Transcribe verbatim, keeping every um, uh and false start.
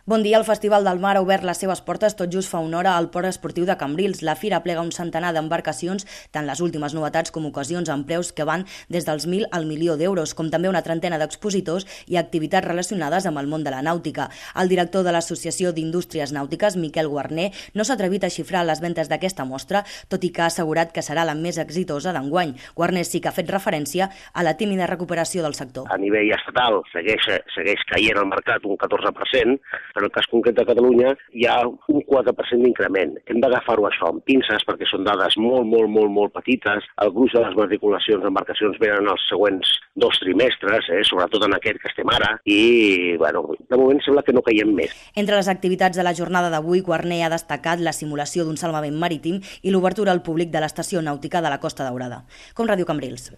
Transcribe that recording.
Bon dia, el Festival del Mar ha obert les seves portes tot just fa una hora al Port Esportiu de Cambrils. La fira plega un centenar d'embarcacions, tant les últimes novetats com ocasions amb preus que van des dels mil al milió d'euros, com també una trentena d'expositors i activitats relacionades amb el món de la nàutica. El director de l'Associació d'Indústries Nàutiques, Miquel Guarner, no s'ha atrevit a xifrar les ventes d'aquesta mostra, tot i que ha assegurat que serà la més exitosa d'enguany. Guarner sí que ha fet referència a la tímida recuperació del sector. A nivell estatal segueix, segueix caient el mercat un catorze per cent, però en el cas concret de Catalunya hi ha un quatre per cent d'increment. Hem d'agafar-ho això amb pinces perquè són dades molt, molt, molt, molt petites. El gruix de les matriculacions d'embarcacions venen els següents dos trimestres, eh, sobretot en aquest que estem ara, i bueno, de moment sembla que no caiem més. Entre les activitats de la jornada d'avui, Guarner ha destacat la simulació d'un salvament marítim i l'obertura al públic de l'estació nàutica de la Costa Daurada. Com Ràdio Cambrils.